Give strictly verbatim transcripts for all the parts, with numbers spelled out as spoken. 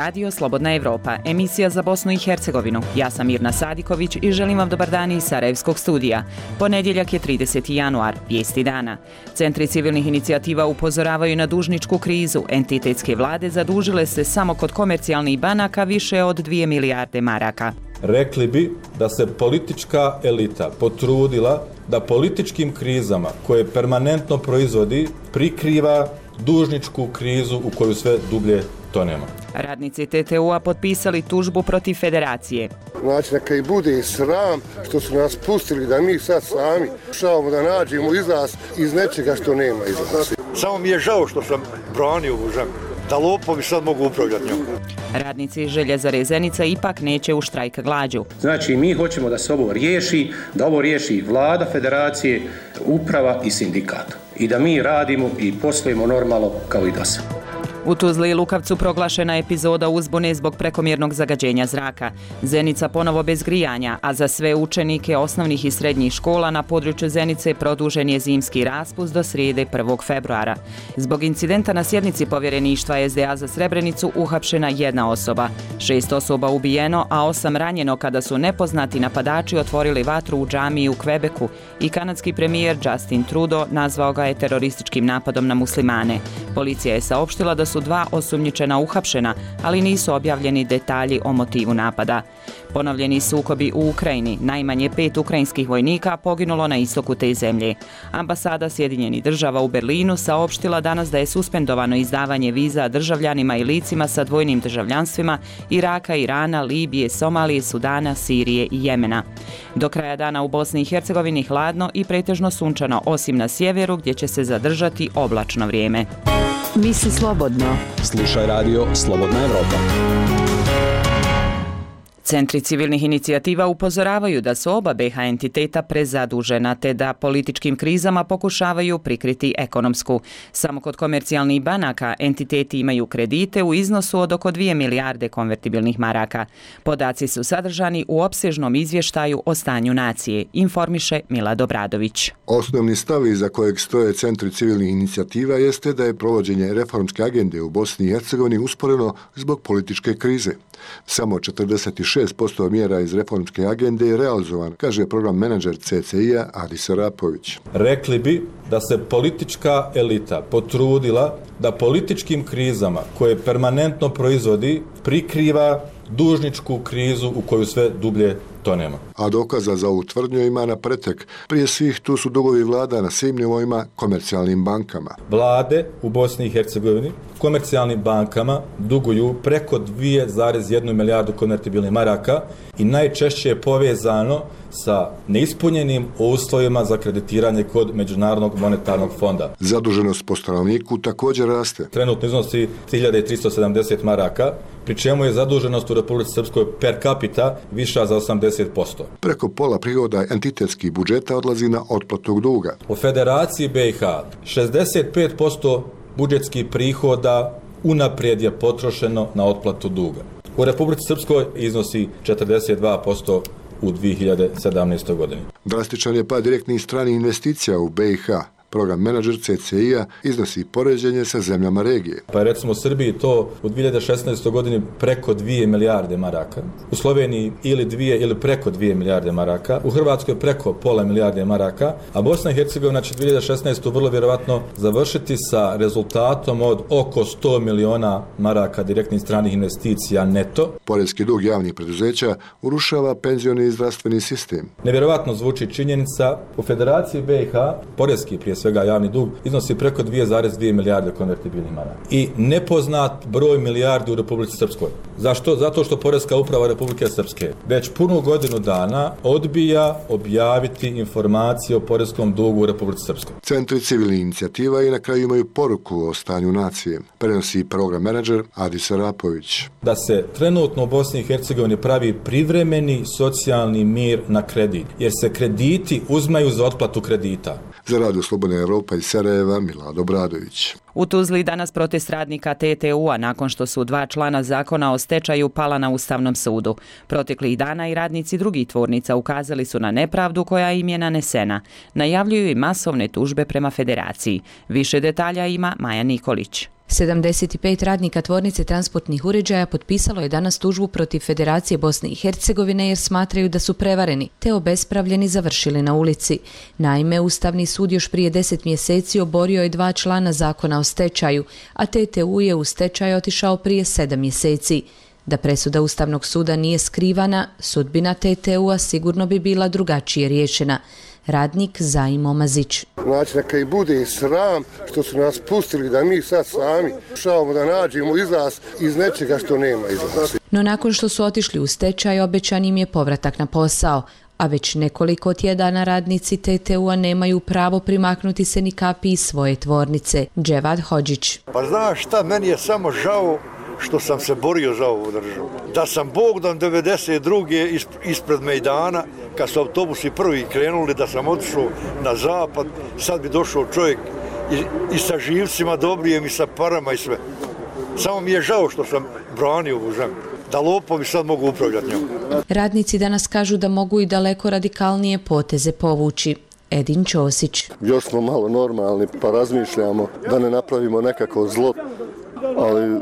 Radio Slobodna Evropa, emisija za Bosnu i Hercegovinu. Ja sam Mirna Sadiković i želim vam dobar dan iz Sarajevskog studija. Ponedjeljak je trideseti januar, vijesti dana. Centri civilnih inicijativa upozoravaju na dužničku krizu. Entitetske vlade zadužile se samo kod komercijalnih banaka više od dvije milijarde maraka. Rekli bi da se politička elita potrudila da političkim krizama koje permanentno proizvodi prikriva dužničku krizu u koju sve dublje tonemo. Radnici T T U-a potpisali tužbu protiv federacije. Znači, neka i bude sram što su nas pustili da mi sad sami šavamo da nađemo izlaz iz nečega što nema izlaza. Samo mi je žao što sam branio ovu zemlju, da lopovi sad mogu upravljati njom. Radnici Željezare Zenica ipak neće u štrajk glađu. Znači, mi hoćemo da se ovo riješi, da ovo riješi vlada, federacije, uprava i sindikat. I da mi radimo i poslujemo normalno kao i do sada. U Tuzli i Lukavcu proglašena epizoda uzbune zbog prekomjernog zagađenja zraka. Zenica ponovo bez grijanja, a za sve učenike osnovnih i srednjih škola na području Zenice produžen je zimski raspust do srijede prvog februara. Zbog incidenta na sjednici povjereništva S D A za Srebrenicu uhapšena jedna osoba. Šest osoba ubijeno, a osam ranjeno kada su nepoznati napadači otvorili vatru u džamiji u Kvebeku i kanadski premijer Justin Trudeau nazvao ga je terorističkim napadom na muslimane. Policija je saopštila da su dva osumnjičena uhapšena, ali nisu objavljeni detalji o motivu napada. Ponovljeni sukobi u Ukrajini, najmanje pet ukrajinskih vojnika poginulo na istoku te zemlje. Ambasada Sjedinjenih država u Berlinu saopštila danas da je suspendovano izdavanje viza državljanima i licima sa dvojnim državljanstvima Iraka, Irana, Libije, Somalije, Sudana, Sirije i Jemena. Do kraja dana u Bosni i Hercegovini hladno i pretežno sunčano, osim na sjeveru gdje će se zadržati oblačno vrijeme. Misli slobodno. Slušaj radio Slobodna Evropa. Centri civilnih inicijativa upozoravaju da su oba B H entiteta prezadužena te da političkim krizama pokušavaju prikriti ekonomsku. Samo kod komercijalnih banaka entiteti imaju kredite u iznosu od oko dvije milijarde konvertibilnih maraka. Podaci su sadržani u opsežnom izvještaju o stanju nacije, informiše Milad Obradović. Osnovni stav iza kojeg stoje centri civilnih inicijativa jeste da je provođenje reformske agende u Bosni i Hercegovini usporeno zbog političke krize. Samo četrdeset šest posto mjera iz reformske agende je realizovan, kaže program menadžer C C I-a Adis Arapović. Rekli bi da se politička elita potrudila da političkim krizama koje permanentno proizvodi prikriva dužničku krizu u koju sve dublje tonemo. A dokaza za ovu tvrdnju ima na pretek. Prije svih tu su dugovi vlada na svim nivoima komercijalnim bankama. Vlade u Bosni i Hercegovini komercijalnim bankama duguju preko dvije zarez jednu milijardu konvertibilnih maraka i najčešće je povezano sa neispunjenim uslovima za kreditiranje kod Međunarodnog monetarnog fonda. Zaduženost po stanovniku također raste. Trenutno iznosi tri hiljade tristo sedamdeset maraka, pri čemu je zaduženost u Republici Srpskoj per capita viša za osamdeset posto. Preko pola prihoda entitetskih budžeta odlazi na otplatu duga. U Federaciji B i H šezdeset pet posto budžetskih prihoda unaprijed je potrošeno na otplatu duga. U Republici Srpskoj iznosi četrdeset dva posto u dvije hiljade sedamnaestoj godini. Drastičan je pad direktnih stranih investicija u B i H. Program menadžer C C I-a iznosi poređenje sa zemljama regije. Pa je recimo u Srbiji to u dvije hiljade šesnaestoj godini preko dvije milijarde maraka, u Sloveniji ili dvije ili preko dvije milijarde maraka, u Hrvatskoj preko pola milijarde maraka, a Bosna i Hercegovina će dvije hiljade šesnaestu vrlo vjerovatno završiti sa rezultatom od oko sto miliona maraka direktnih stranih investicija neto. Poreski dug javnih preduzeća urušava penzioni i zdravstveni sistem. Nevjerovatno zvuči činjenica, u Federaciji B i H poreski prije svega javni dug iznosi preko dvije zarez dvije milijarde konvertibilnih maraka i nepoznat broj milijardi u Republici Srpskoj. Zašto? Zato što Poreska uprava Republike Srpske već punu godinu dana odbija objaviti informacije o poreskom dugu u Republici Srpskoj. Centri civilnih inicijativa i na kraju imaju poruku o stanju nacije. Prenosi program menadžer Adis Arapović. Da se trenutno u Bosni i Hercegovini pravi privremeni socijalni mir na kredit, jer se krediti uzmaju za otplatu kredita. Za Radio Slobodna Evropa iz Sarajeva, Milad Obradović. U Tuzli danas protest radnika T T U-a nakon što su dva člana zakona o stečaju pala na Ustavnom sudu. Proteklih dana i radnici drugih tvornica ukazali su na nepravdu koja im je nanesena. Najavljuju i masovne tužbe prema federaciji. Više detalja ima Maja Nikolić. sedamdeset pet radnika tvornice transportnih uređaja potpisalo je danas tužbu protiv Federacije Bosne i Hercegovine jer smatraju da su prevareni te obespravljeni završili na ulici. Naime, Ustavni sud još prije deset mjeseci oborio je dva člana zakona o stečaju, a T T U je u stečaj otišao prije sedam mjeseci. Da presuda Ustavnog suda nije skrivana, sudbina T T U-a sigurno bi bila drugačije riješena. Radnik Zaim Omazić. Znači, neka i bude sram što su nas pustili da mi sad sami pokušavamo da nađemo izlaz iz nečega što nema izlaza. No nakon što su otišli u stečaj, obećan im je povratak na posao, a već nekoliko tjedana radnici T T U-a nemaju pravo primaknuti se ni kapi iz svoje tvornice. Dževad Hodžić. Pa znaš šta, meni je samo žao što sam se borio za ovu državu. Da sam Bogdan devedeset druge ispred Mejdana, kad su autobusi prvi krenuli, da sam otišao na zapad, sad bi došao čovjek i, i sa živcima dobrijem i sa parama i sve. Samo mi je žao što sam branio ovu zemlju, da lopovi sad mogu upravljati njom. Radnici danas kažu da mogu i daleko radikalnije poteze povući. Edin Ćosić. Još smo malo normalni pa razmišljamo da ne napravimo nekako zlo, ali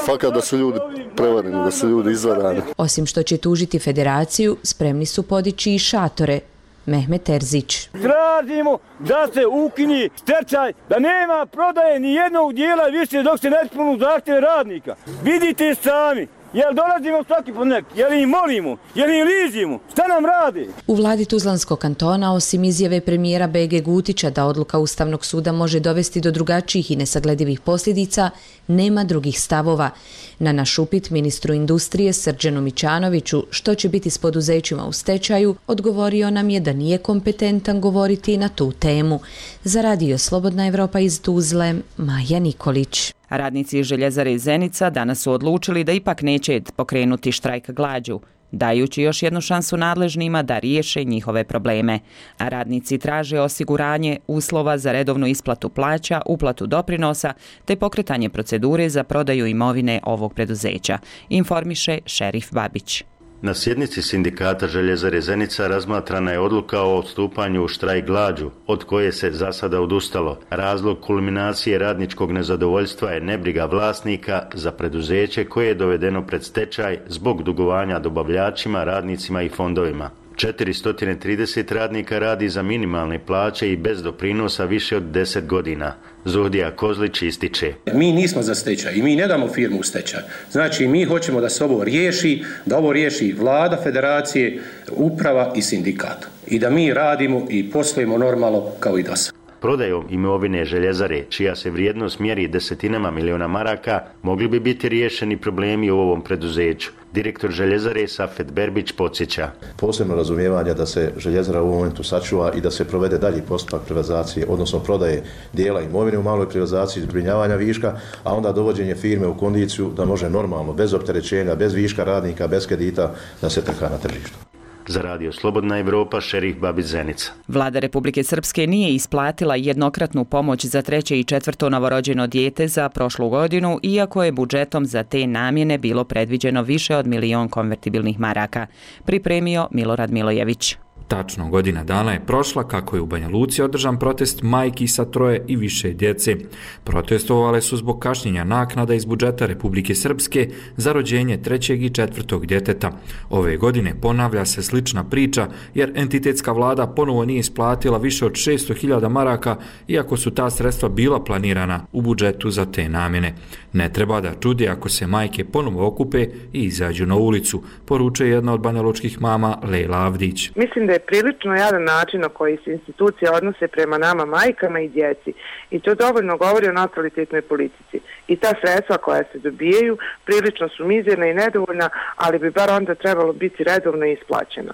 fakat da su ljudi prevareni, da su ljudi izvarani. Osim što će tužiti federaciju, spremni su podići i šatore. Mehmet Terzić. Tražimo da se ukini stečaj, da nema prodaje ni jednog dijela više dok se ne ispunu zahtjeve radnika. Vidite sami. Jel dolazimo svaki ponek, jel im molimo, jel im ližimo, šta nam radi? U vladi Tuzlanskog kantona, osim izjave premijera B G Gutića da odluka Ustavnog suda može dovesti do drugačijih i nesagledivih posljedica, nema drugih stavova. Na naš upit ministru industrije Srđanu Mićanoviću što će biti s poduzećima u stečaju, odgovorio nam je da nije kompetentan govoriti na tu temu. Za Radio Slobodna Evropa iz Tuzle, Maja Nikolić. Radnici Željezare iz Zenica danas su odlučili da ipak neće pokrenuti štrajk glađu, dajući još jednu šansu nadležnima da riješe njihove probleme. A radnici traže osiguranje uslova za redovnu isplatu plaća, uplatu doprinosa te pokretanje procedure za prodaju imovine ovog preduzeća, informiše Šerif Babić. Na sjednici sindikata Željezare Zenica razmatrana je odluka o odstupanju u štrajk glađu, od koje se za sada odustalo. Razlog kulminacije radničkog nezadovoljstva je nebriga vlasnika za preduzeće koje je dovedeno pred stečaj zbog dugovanja dobavljačima, radnicima i fondovima. četiristo trideset radnika radi za minimalne plaće i bez doprinosa više od deset godina. Zuhdija Kozlić ističe. Mi nismo za stečaj i mi ne damo firmu u stečaj. Znači mi hoćemo da se ovo riješi, da ovo riješi vlada, federacije, uprava i sindikat. I da mi radimo i poslujemo normalno kao i do sada. Prodajom imovine Željezare, čija se vrijednost mjeri desetinama miliona maraka, mogli bi biti riješeni problemi u ovom preduzeću. Direktor Željezare Safet Berbić podsjeća. Posebno razumijevanje da se Željezara u ovom momentu sačuva i da se provede dalji postupak privatizacije, odnosno prodaje dijela imovine u maloj privatizaciji, zbrinjavanja viška, a onda dovođenje firme u kondiciju da može normalno, bez opterećenja, bez viška radnika, bez kredita, da se trka na tržištu. Za Radio Slobodna Evropa, Šerif Babić Zenica. Vlada Republike Srpske nije isplatila jednokratnu pomoć za treće i četvrto novorođeno dijete za prošlu godinu, iako je budžetom za te namjene bilo predviđeno više od milion konvertibilnih maraka. Pripremio Milorad Milojević. Tačno godina dana je prošla kako je u Banja Luci održan protest majki sa troje i više djece. Protestovale su zbog kašnjenja naknada iz budžeta Republike Srpske za rođenje trećeg i četvrtog djeteta. Ove godine ponavlja se slična priča jer entitetska vlada ponovo nije isplatila više od šesto hiljada maraka, iako su ta sredstva bila planirana u budžetu za te namjene. Ne treba da čudi ako se majke ponovo okupe i izađu na ulicu, poručuje jedna od banjalučkih mama Lejla Avdić. Mislim da je prilično jadan način na koji se institucije odnose prema nama majkama i djeci i to dovoljno govori o natalitetnoj politici. I ta sredstva koja se dobijaju prilično su mizerna i nedovoljna, ali bi bar onda trebalo biti redovno isplaćena.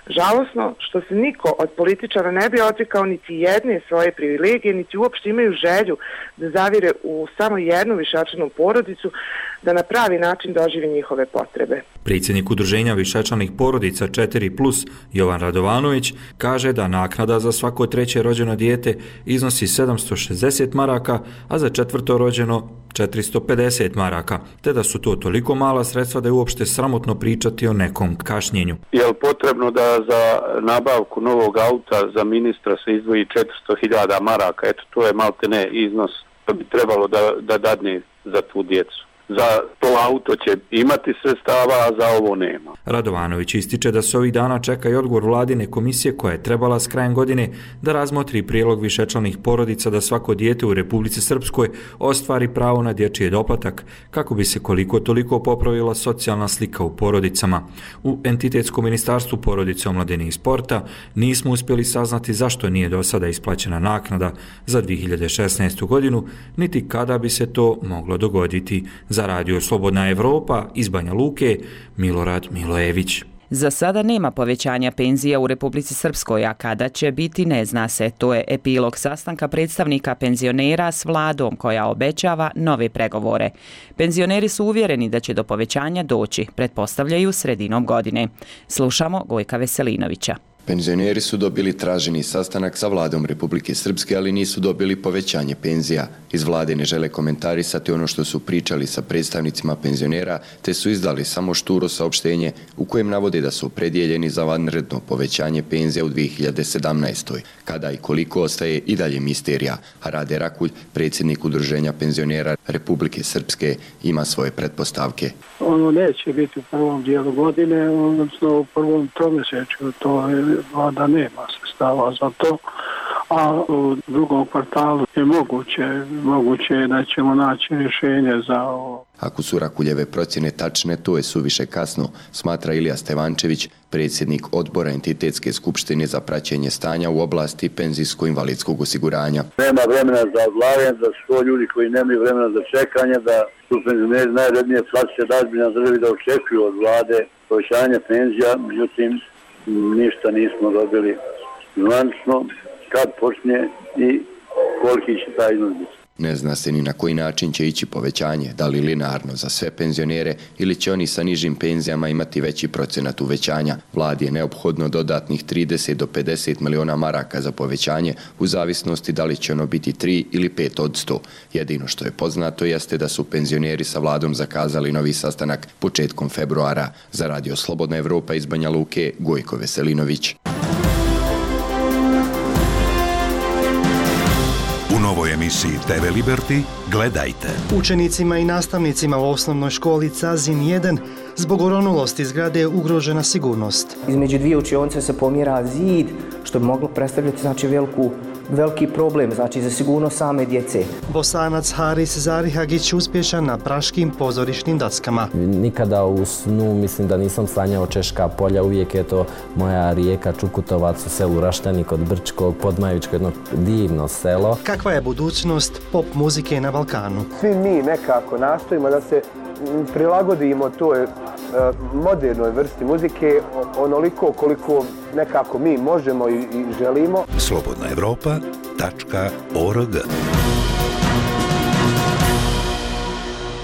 Žalosno što se niko od političara ne bi odrekao niti jedne svoje privilegije, niti uopšte imaju želju da zavire u samo jednu višečlanu porodicu, da na pravi način doživi njihove potrebe. Predsjednik udruženja višečlanih porodica četiri plus Jovan Radovanović kaže da naknada za svako treće rođeno dijete iznosi sedamsto šezdeset maraka, a za četvrto rođeno četiristo pedeset maraka, te da su to toliko mala sredstva da je uopšte sramotno pričati o nekom kašnjenju. Je li potrebno da za nabavku novog auta za ministra se izdvoji četiristo hiljada maraka? Eto, to je malte ne iznos da bi trebalo da, da dadne za tu djecu. Za to auto će imati sredstava, a za ovo nema. Radovanović ističe da se ovih dana čeka i odgovor vladine komisije koja je trebala s krajem godine da razmotri prijedlog višečlanih porodica da svako dijete u Republici Srpskoj ostvari pravo na dječji doplatak kako bi se koliko toliko popravila socijalna slika u porodicama. U entitetskom ministarstvu porodice, omladine i sporta nismo uspjeli saznati zašto nije do sada isplaćena naknada za dvije hiljade šesnaestu godinu, niti kada bi se to moglo dogoditi. Za radio Slobodna Evropa iz Banja Luke, Milorad Milojević. Za sada nema povećanja penzija u Republici Srpskoj, a kada će biti ne zna se. To je epilog sastanka predstavnika penzionera s vladom koja obećava nove pregovore. Penzioneri su uvjereni da će do povećanja doći, pretpostavljaju sredinom godine. Slušamo Gojka Veselinovića. Penzioneri su dobili traženi sastanak sa vladom Republike Srpske, ali nisu dobili povećanje penzija. Iz vlade ne žele komentarisati ono što su pričali sa predstavnicima penzionera, te su izdali samo šturo saopštenje u kojem navode da su opredjeljeni za vanredno povećanje penzija u dvije hiljade sedamnaestoj. Kada i koliko ostaje i dalje misterija, a Rade Rakulj, predsjednik Udruženja penzionera Republike Srpske, ima svoje pretpostavke. Ono neće biti u prvom dijelu godine, odnosno u prvom tromjesečju, to je vlada nema sredstava za to, a u drugom kvartalu je moguće, moguće da ćemo naći rješenje za ovo. Ako su Rakuljeve procjene tačne, to je suviše kasno, smatra Ilija Stevančević, predsjednik odbora entitetske skupštine za praćenje stanja u oblasti penzijsko-invalidskog osiguranja. Nema vremena za odlaganje, da su to ljudi koji nemaju vremena za čekanje, da su penzioneri najrednije shvatiti da ozbiljna državi da očekuju od vlade povećanje penzija, međutim ništa nismo dobili zvanično kad počne i koliki će taj iznos biti. Ne zna se ni na koji način će ići povećanje, da li linearno za sve penzionere ili će oni sa nižim penzijama imati veći procenat uvećanja. Vladi je neophodno dodatnih trideset do pedeset miliona maraka za povećanje u zavisnosti da li će ono biti tri ili pet od sto. Jedino što je poznato jeste da su penzioneri sa vladom zakazali novi sastanak početkom februara. Za radio Slobodna Evropa iz Banja Luke, Gojko Veselinović. U novoj emisiji te ve Liberty gledajte. Učenicima i nastavnicima u osnovnoj školi Cazin jedan zbog oronulosti zgrade je ugrožena sigurnost. Između dvije učionice se pomjera zid, što bi moglo predstavljati znači veliku veliki problem, znači za sigurnost same djece. Bosanac Haris Zarihagić uspješan na praškim pozorišnim dackama. Nikada u snu mislim da nisam sanjao Češka polja, uvijek je to moja rijeka Čukutovac u selu Raštani kod Brčkog, Podmajevičko, jedno divno selo. Kakva je budućnost pop muzike na Balkanu? Svi mi nekako nastojimo da se prilagodimo toj modernoj vrsti muzike onoliko koliko nekako mi možemo i želimo. slobodna evropa tačka org.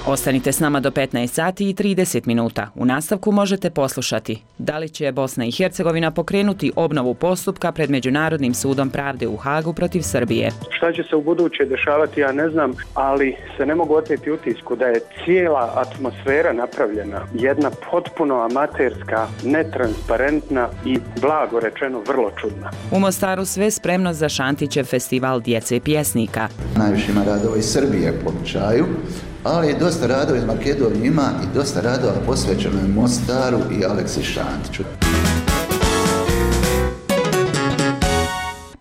Ostanite s nama do petnaest sati i trideset minuta. U nastavku možete poslušati da li će Bosna i Hercegovina pokrenuti obnovu postupka pred Međunarodnim sudom pravde u Hagu protiv Srbije. Šta će se u buduće dešavati, ja ne znam, ali se ne mogu oteti utisku da je cijela atmosfera napravljena jedna potpuno amaterska, netransparentna i blago rečeno vrlo čudna. U Mostaru sve spremno za Šantićev festival djece pjesnika. Najviše ima radova iz Srbije po običaju, ali dosta radova iz Makedonije ima i dosta radova posvećeno je Mostaru i Aleksi Šantiću.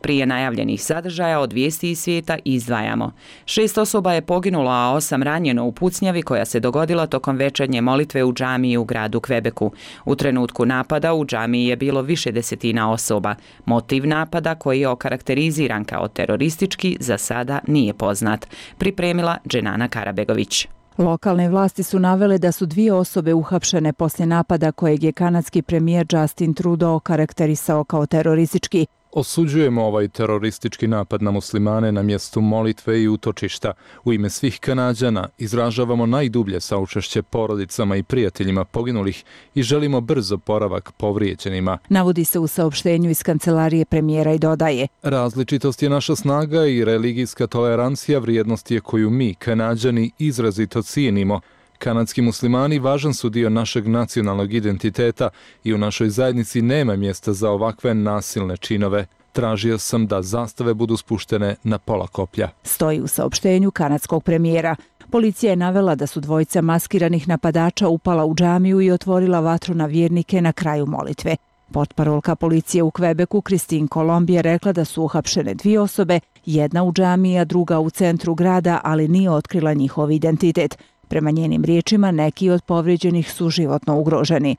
Prije najavljenih sadržaja od vijesti iz svijeta izdvajamo. Šest osoba je poginulo, a osam ranjeno u pucnjavi koja se dogodila tokom večernje molitve u džamiji u gradu Kvebeku. U trenutku napada u džamiji je bilo više desetina osoba. Motiv napada, koji je okarakteriziran kao teroristički, za sada nije poznat. Pripremila Dženana Karabegović. Lokalne vlasti su navele da su dvije osobe uhapšene poslije napada kojeg je kanadski premijer Justin Trudeau okarakterisao kao teroristički. Osuđujemo ovaj teroristički napad na muslimane na mjestu molitve i utočišta. U ime svih Kanađana izražavamo najdublje saučešće porodicama i prijateljima poginulih i želimo brzo oporavak povrijeđenima. Navodi se u saopštenju iz kancelarije premijera i dodaje: različitost je naša snaga i religijska tolerancija vrijednost je koju mi, Kanađani, izrazito cijenimo. Kanadski muslimani važan su dio našeg nacionalnog identiteta i u našoj zajednici nema mjesta za ovakve nasilne činove. Tražio sam da zastave budu spuštene na pola koplja. Stoji u saopštenju kanadskog premijera. Policija je navela da su dvojica maskiranih napadača upala u džamiju i otvorila vatru na vjernike na kraju molitve. Portparolka policije u Kvebeku Christine Colomb je rekla da su uhapšene dvije osobe, jedna u džamiji, a druga u centru grada, ali nije otkrila njihov identitet. Prema njenim riječima, neki od povrijeđenih su životno ugroženi.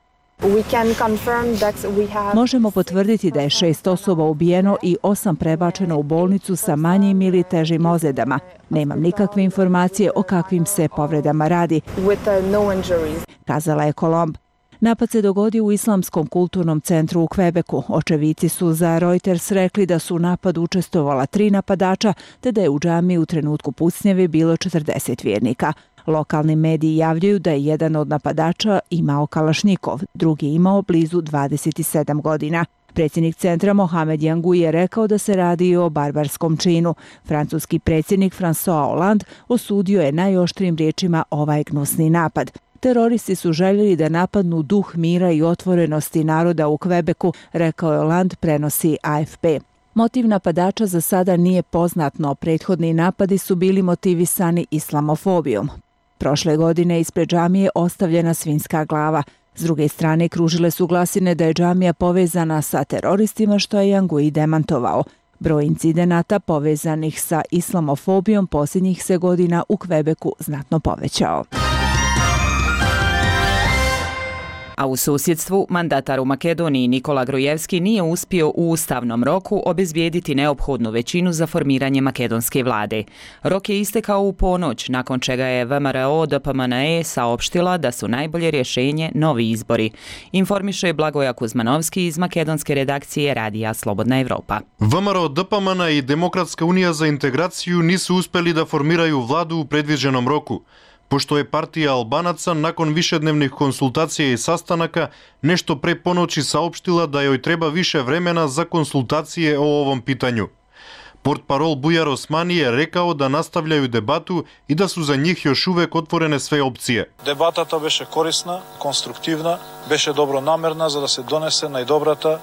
Možemo potvrditi da je šest osoba ubijeno i osam prebačeno u bolnicu sa manjim ili težim ozljedama. Nemam nikakve informacije o kakvim se povredama radi, kazala je Colomb. Napad se dogodio u Islamskom kulturnom centru u Kvebeku. Očevici su za Reuters rekli da su u napadu učestvovala tri napadača, te da je u džamiji u trenutku pucnjave bilo četrdeset vjernika. Lokalni mediji javljaju da je jedan od napadača imao kalašnikov, drugi imao blizu dvadeset sedam godina. Predsjednik centra Mohamed Jangu je rekao da se radi o barbarskom činu. Francuski predsjednik François Hollande osudio je najoštrijim riječima ovaj gnusni napad. Teroristi su željeli da napadnu duh mira i otvorenosti naroda u Kvebeku, rekao je Hollande, prenosi A F P. Motiv napadača za sada nije poznat, no prethodni napadi su bili motivisani islamofobijom. Prošle godine ispred džamije ostavljena svinjska glava. S druge strane, kružile su glasine da je džamija povezana sa teroristima, što je Jangui demantovao. Broj incidenata povezanih sa islamofobijom posljednjih se godina u Kvebeku znatno povećao. A u susjedstvu mandatar u Makedoniji Nikola Grujevski nije uspio u ustavnom roku obezbijediti neophodnu većinu za formiranje makedonske vlade. Rok je istekao u ponoć, nakon čega je V M R O D P M N E saopštila da su najbolje rješenje novi izbori. Informiše Blagoja Kuzmanovski iz makedonske redakcije Radija Slobodna Evropa. V M R O D P M N i Demokratska unija za integraciju nisu uspjeli da formiraju vladu u predviđenom roku, pošto je partija Albanaca nakon višednevnih konsultacija i sastanaka nešto pre ponoći saopštila da joj treba više vremena za konsultacije o ovom pitanju. Portparol Bujar Osmani je rekao da nastavljaju debatu i da su za njih još uvek otvorene sve opcije. Дебатата беше корисна, конструктивна, беше добронамерна за да се донесе најдобрата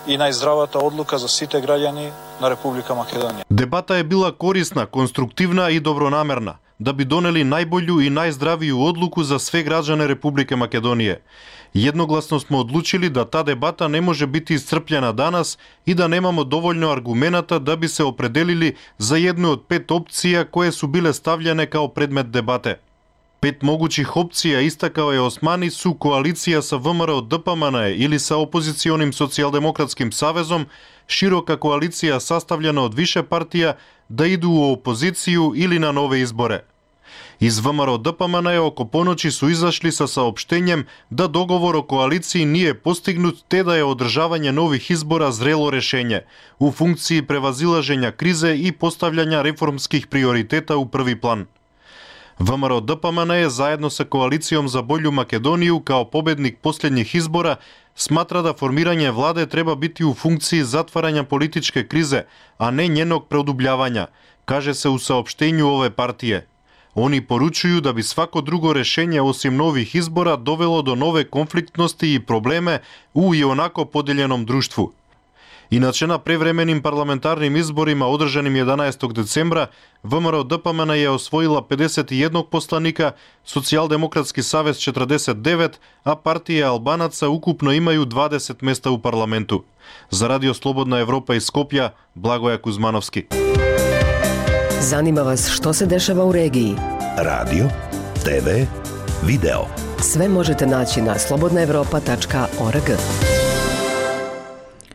и најздравата одлука за сите граѓани на Република Македонија. Дебата е била корисна, конструктивна и добронамерна, да би донели најболju и најздравiju одлуку за све граđane Републике Македонije. Jednoglasno smo odlučili da ta debata ne može biti iscrpljena danas i da nemamo dovoljno argumenata da bi se opredelili za jednu od pet opcija koje su bile stavljene kao predmet debate. Pet mogućih opcija, istakao je Osmani, su koalicija sa V M R O D P M N ili sa opozicionim socijaldemokratskim savezom, široka koalicija sastavljena od više partija, da idu u opoziciju ili na nove izbore. Iz V M R O D P M N oko ponoći su izašli sa saopštenjem da dogovor o koaliciji nije postignut te da je održavanje novih izbora zrelo rešenje u funkciji prevazilaženja krize i postavljanja reformskih prioriteta u prvi plan. V M R O D P M N je zajedno sa koalicijom za bolju Makedoniju kao pobednik posljednjih izbora smatra da formiranje vlade treba biti u funkciji zatvaranja političke krize, a ne njenog produbljavanja, kaže se u saopštenju ove partije. Oni poručuju da bi svako drugo rešenje osim novih izbora dovelo do nove konfliktnosti i probleme u i onako podeljenom društvu. Inače, na prevremenim parlamentarnim izborima održanim jedanaestog decembra, V M R O D P M N je osvojila pedeset jedan poslanika, Socijaldemokratski savez četrdeset devet, a partije Albanaca ukupno imaju dvadeset mesta u parlamentu. Za Radio Slobodna Evropa iz Skopja, Blagoja Kuzmanovski. Zanima vas što se dešava u regiji? Radio, T V, video. Sve možete naći na slobodna evropa tačka org.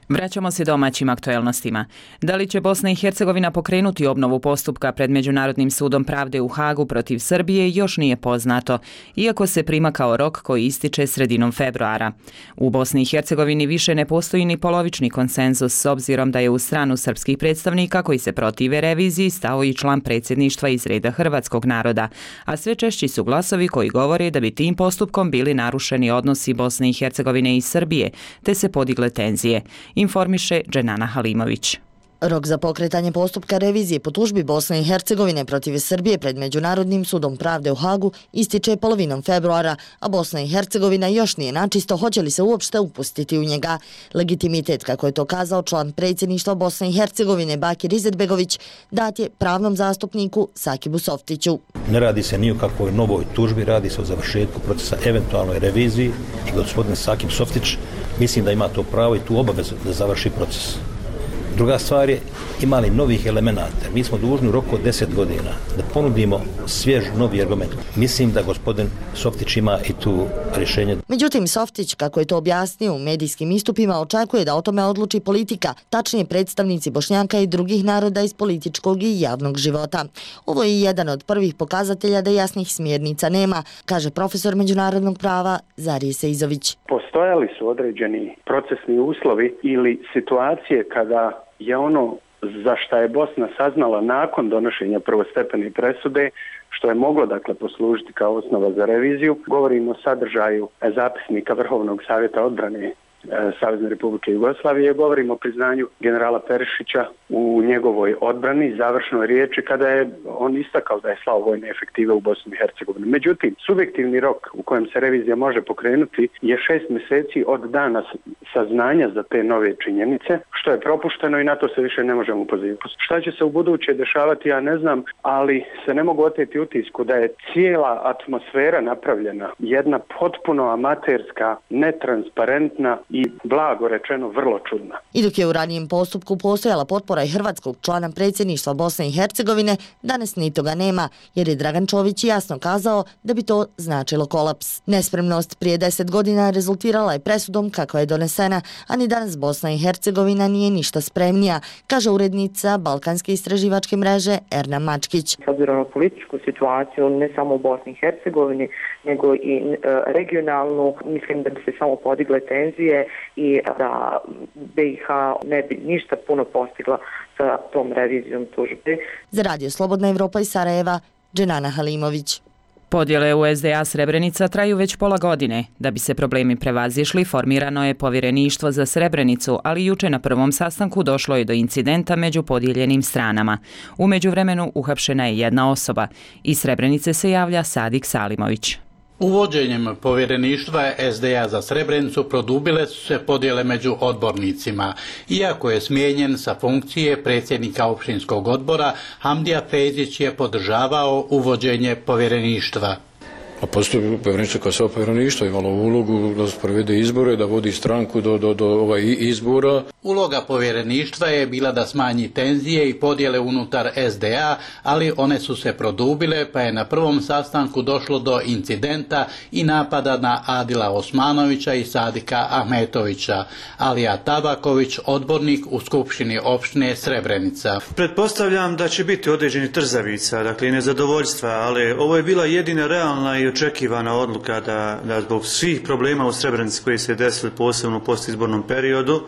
Vraćamo se domaćim aktuelnostima. Da li će Bosna i Hercegovina pokrenuti obnovu postupka pred Međunarodnim sudom pravde u Hagu protiv Srbije još nije poznato, iako se prima kao rok koji ističe sredinom februara. U Bosni i Hercegovini više ne postoji ni polovični konsenzus s obzirom da je u stranu srpskih predstavnika koji se protive reviziji stao i član predsjedništva iz reda hrvatskog naroda, a sve češći su glasovi koji govore da bi tim postupkom bili narušeni odnosi Bosne i Hercegovine i Srbije, te se podigle tenzije. Informiše Dženana Halimović. Rok za pokretanje postupka revizije po tužbi Bosne i Hercegovine protiv Srbije pred Međunarodnim sudom pravde u Hagu ističe polovinom februara, a Bosna i Hercegovina još nije načisto hoće li se uopšte upustiti u njega. Legitimitet, kako je to kazao član predsjedništva Bosne i Hercegovine Bakir Izetbegović, dat je pravnom zastupniku Sakibu Softiću. Ne radi se ni o kakvoj novoj tužbi, radi se o završetku procesa eventualnoj reviziji i gospodin Sakib Softić mislim da ima to pravo i tu obavezu da završi proces. Druga stvar je, ima li novih elemenata? Mi smo dužni u roku od deset godina da ponudimo svjež novi argument. Mislim da gospodin Softić ima i tu rješenje. Međutim, Softić, kako je to objasnio u medijskim istupima, očekuje da o tome odluči politika, tačnije predstavnici Bošnjaka i drugih naroda iz političkog i javnog života. Ovo je jedan od prvih pokazatelja da jasnih smjernica nema, kaže profesor međunarodnog prava Zarije Seizović. Postojali su određeni procesni uslovi ili situacije kada je ono za šta je Bosna saznala nakon donošenja prvostepene presude, što je moglo dakle poslužiti kao osnova za reviziju. Govorimo o sadržaju zapisnika Vrhovnog savjeta odbrane Savezne Republike Jugoslavije, govorimo o priznanju generala Perišića u njegovoj odbrani, završnoj riječi kada je on istakao da je slao vojne efektive u Bosnu i Hercegovinu. Međutim, subjektivni rok u kojem se revizija može pokrenuti je šest mjeseci od dana saznanja za te nove činjenice, što je propušteno i na to se više ne možemo pozivati. Šta će se u buduće dešavati, ja ne znam, ali se ne mogu oteti utisku da je cijela atmosfera napravljena, jedna potpuno amaterska, netransparentna i blago rečeno vrlo čudna. I dok je u ranijem postupku postojala potpora i hrvatskog člana predsjedništva Bosne i Hercegovine, danas ni toga nema, jer je Dragan Čović jasno kazao da bi to značilo kolaps. Nespremnost prije deset godina rezultirala je presudom kako je donesena, a ni danas Bosna i Hercegovina nije ništa spremnija, kaže urednica Balkanske istraživačke mreže Erna Mačkić. S obzirom na političku situaciju, ne samo u Bosni i Hercegovini, nego i regionalnu, mislim da bi se samo podigle tenzije i da B i H ne bi ništa puno postigla sa tom revizijom tužbe. Za Radio Slobodna Evropa iz Sarajeva, Dženana Halimović. Podjele u S D A Srebrenica traju već pola godine. Da bi se problemi prevazišli, formirano je povjereništvo za Srebrenicu, ali juče na prvom sastanku došlo je do incidenta među podijeljenim stranama. U međuvremenu uhapšena je jedna osoba. Iz Srebrenice se javlja Sadik Salimović. Uvođenjem povjereništva S D A za Srebrenicu produbile su se podjele među odbornicima. Iako je smijenjen sa funkcije predsjednika općinskog odbora, Hamdija Fejzić je podržavao uvođenje povjereništva. A postoji povjereništvo kao svo povjereništvo, imalo ulogu da provede izbore, da vodi stranku do, do, do ovaj izbora. Uloga povjereništva je bila da smanji tenzije i podjele unutar S D A, ali one su se produbile, pa je na prvom sastanku došlo do incidenta i napada na Adila Osmanovića i Sadika Ahmetovića. Alija Tabaković, odbornik u Skupštini opštine Srebrenica. Pretpostavljam da će biti određeni trzavica, dakle i nezadovoljstva, ali ovo je bila jedina realna i očekivana odluka da, da zbog svih problema u Srebrenici koji se desili posebno u postizbornom periodu,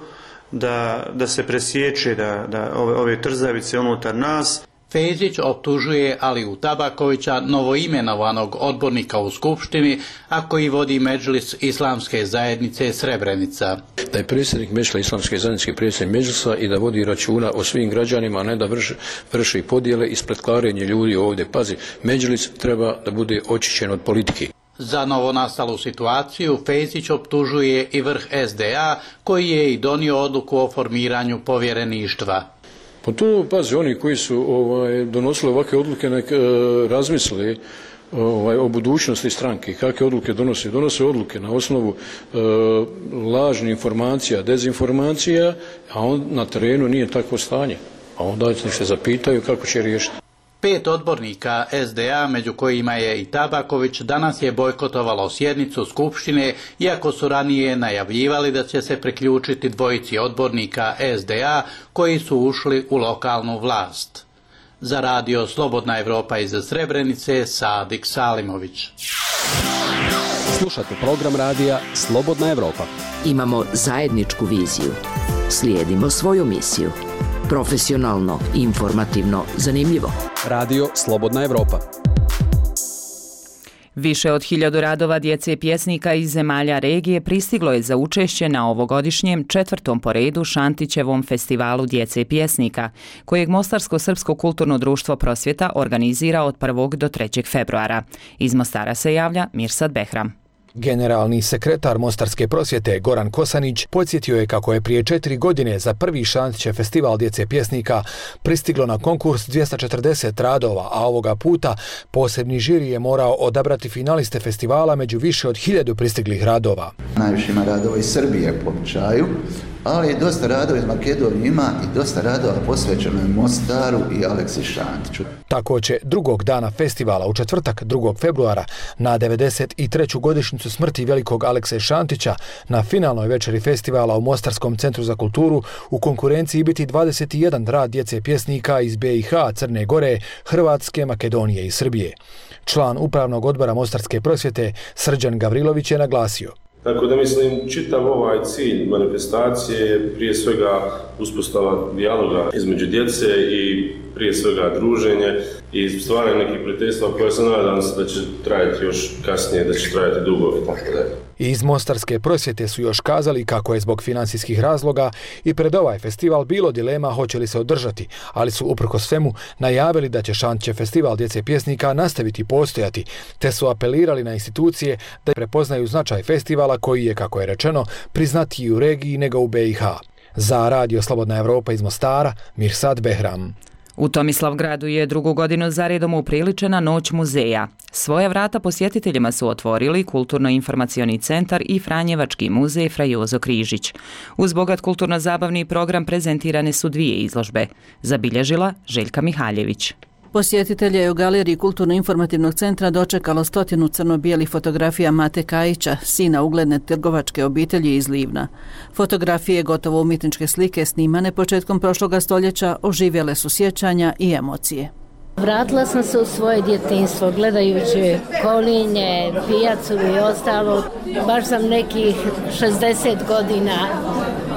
da, da se presječe da, da ove, ove trzavice unutar nas. Fejzić optužuje Aliju Tabakovića, novoimenovanog odbornika u Skupštini, a koji vodi Medžlis Islamske zajednice Srebrenica. Da je predsjednik Medžlisa Islamske zajednice predsjednik Medžlisa i da vodi računa o svim građanima, a ne da vrši, vrši podjele i spletkarenje ljudi ovdje. Pazi, Medžlis treba da bude očišćen od politike. Za novonastalu situaciju Fejzić optužuje i vrh S D A, koji je i donio odluku o formiranju povjereništva. Pa to, pazi, oni koji su ovaj, donosili ovakve odluke nek e, razmisli ovaj, o budućnosti stranke, kakve odluke donose. Donose odluke na osnovu e, lažnih informacija, dezinformacija, a on na terenu nije takvo stanje. A onda se zapitaju kako će riješiti. Pet odbornika S D A, među kojima je i Tabaković, danas je bojkotovalo sjednicu Skupštine, iako su ranije najavljivali da će se priključiti dvojici odbornika S D A koji su ušli u lokalnu vlast. Za Radio Slobodna Evropa iz Srebrenice, Sadik Salimović. Slušate program radija Slobodna Evropa. Imamo zajedničku viziju. Slijedimo svoju misiju. Profesionalno, informativno, zanimljivo. Radio Slobodna Evropa. Više od hiljadu radova djece pjesnika iz zemalja regije pristiglo je za učešće na ovogodišnjem četvrtom po redu Šantićevom festivalu djece pjesnika, kojeg Mostarsko-srpsko kulturno društvo Prosvjeta organizira od prvog do trećeg februara. Iz Mostara se javlja Mirsad Behram. Generalni sekretar Mostarske prosvjete Goran Kosanić podsjetio je kako je prije četiri godine za prvi Šantićev festival djece pjesnika pristiglo na konkurs dvjesto četrdeset radova, a ovoga puta posebni žiri je morao odabrati finaliste festivala među više od hiljadu pristiglih radova. Najviše ima radova iz Srbije po običaju, ali dosta radova iz Makedonije ima i dosta radova posvećeno je Mostaru i Aleksi Šantiću. Tako će drugog dana festivala u četvrtak drugog februara na devedeset treću godišnjicu smrti velikog Alekse Šantića na finalnoj večeri festivala u Mostarskom centru za kulturu u konkurenciji biti dvadeset jedan rad djece pjesnika iz be i ha, Crne Gore, Hrvatske, Makedonije i Srbije. Član upravnog odbora Mostarske prosvjete Srđan Gavrilović je naglasio. Tako da mislim, čitav ovaj cilj manifestacije je prije svega uspostava dijaloga između djece i prije svega druženje i stvaranje nekih prijateljstva koje se nadam se da će trajati još kasnije, da će trajati dugo i tako dalje. Iz Mostarske prosvjete su još kazali kako je zbog financijskih razloga i pred ovaj festival bilo dilema hoće li se održati, ali su uprkos svemu najavili da će Šantićev festival djece pjesnika nastaviti postojati, te su apelirali na institucije da prepoznaju značaj festivala koji je, kako je rečeno, priznatiji u regiji nego u be i ha. Za Radio Slobodna Evropa iz Mostara, Mirsad Behram. U Tomislavgradu je drugu godinu zaredom upriličena Noć muzeja. Svoja vrata posjetiteljima su otvorili Kulturno-informacioni centar i Franjevački muzej Fra Jozo Križić. Uz bogat kulturno-zabavni program prezentirane su dvije izložbe. Zabilježila Željka Mihaljević. Posjetitelje je u galeriji Kulturno-informativnog centra dočekalo stotinu crno-bijelih fotografija Mate Kajića, sina ugledne trgovačke obitelji iz Livna. Fotografije, gotovo umjetničke slike, snimane početkom prošloga stoljeća, oživjele su sjećanja i emocije. Vratila sam se u svoje djetinjstvo gledajući kolinje, pijacu i ostalo. Baš sam nekih šezdeset godina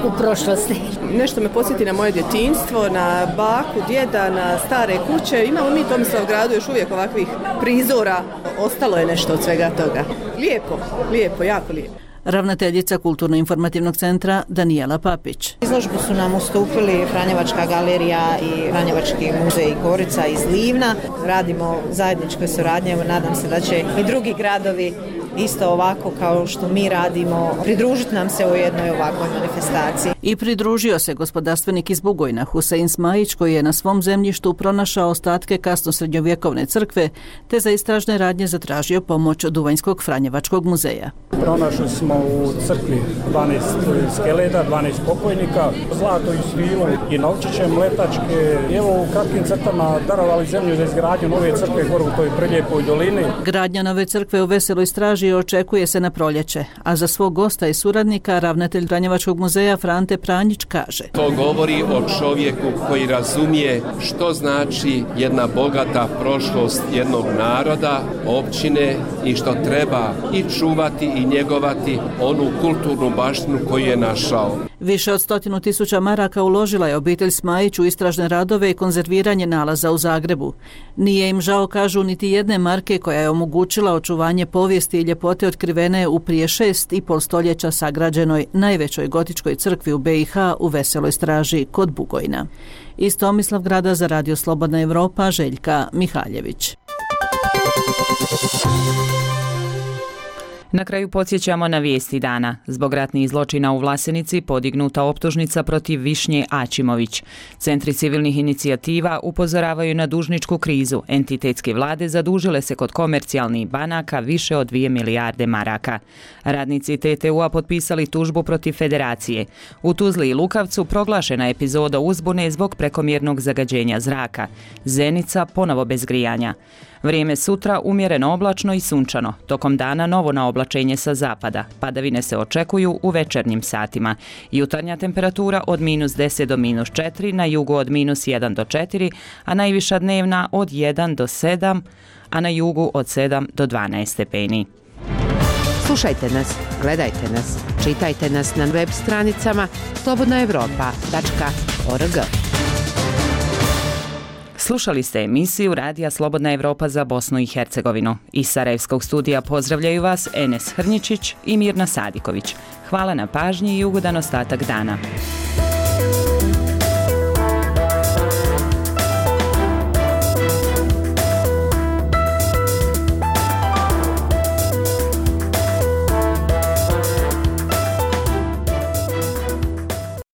u prošlosti. Nešto me podsjeti na moje djetinjstvo, na baku, djeda, na stare kuće. Imamo mi u Tomislavgradu još uvijek ovakvih prizora. Ostalo je nešto od svega toga. Lijepo, lijepo, jako lijepo. Ravnateljica Kulturno-informativnog centra Danijela Papić. Izložbu su nam ustupili Franjevačka galerija i Franjevački muzej Gorica iz Livna. Radimo zajedničkoj suradnji, nadam se da će i drugi gradovi isto ovako kao što mi radimo pridružiti nam se u jednoj ovakvoj manifestaciji. I pridružio se gospodarstvenik iz Bugojna Husein Smajić koji je na svom zemljištu pronašao ostatke kasno srednjovjekovne crkve te za istražne radnje zatražio pomoć od Duvanjskog Franjevačkog muzeja. Pronašli smo u crkvi dvanaest skeleta, dvanaest pokojnika, zlato i svilo i novčiće mletačke. Evo u kratkim crtama darovali zemlju za izgradnju nove crkve gore u toj prelijepoj dolini. Gradnja nove crkve u Veseloj Straži očekuje se na proljeće, a za svog gosta i suradnika ravnatelj Franjevačkog muzeja Frante Pranjić kaže. To govori o čovjeku koji razumije što znači jedna bogata prošlost jednog naroda, općine i što treba i čuvati i njegovati onu kulturnu baštinu koju je našao. Više od stotinu tisuća maraka uložila je obitelj Smajić u istražne radove i konzerviranje nalaza u Zagrebu. Nije im žao, kažu, niti jedne marke koja je omogućila očuvanje povijesti i ljepote otkrivene u prije šest i pol stoljeća sagrađenoj najvećoj gotičkoj crkvi u be i ha u Veseloj Straži kod Bugojna. Iz Tomislavgrada za Radio Slobodna Evropa, Željka Mihaljević. Na kraju podsjećamo na vijesti dana. Zbog ratnih zločina u Vlasenici podignuta optužnica protiv Višnje Ačimović. Centri civilnih inicijativa upozoravaju na dužničku krizu. Entitetske vlade zadužile se kod komercijalnih banaka više od dvije milijarde maraka. Radnici te te u-a potpisali tužbu protiv federacije. U Tuzli i Lukavcu proglašena epizoda uzbune zbog prekomjernog zagađenja zraka. Zenica ponovo bez grijanja. Vrijeme sutra umjereno oblačno i sunčano. Tokom dana novo naoblačenje sa zapada. Padavine se očekuju u večernjim satima. Jutarnja temperatura od minus deset do minus četiri, na jugu od minus jedan do četiri, a najviša dnevna od jedan do sedam, a na jugu od sedam do dvanaest stepeni. Slušajte nas, gledajte nas, čitajte nas na web stranicama slobodna evropa tačka org. Slušali ste emisiju Radija Slobodna Evropa za Bosnu i Hercegovinu. Iz Sarajevskog studija pozdravljaju vas Enes Hrnjičić i Mirna Sadiković. Hvala na pažnji i ugodan ostatak dana.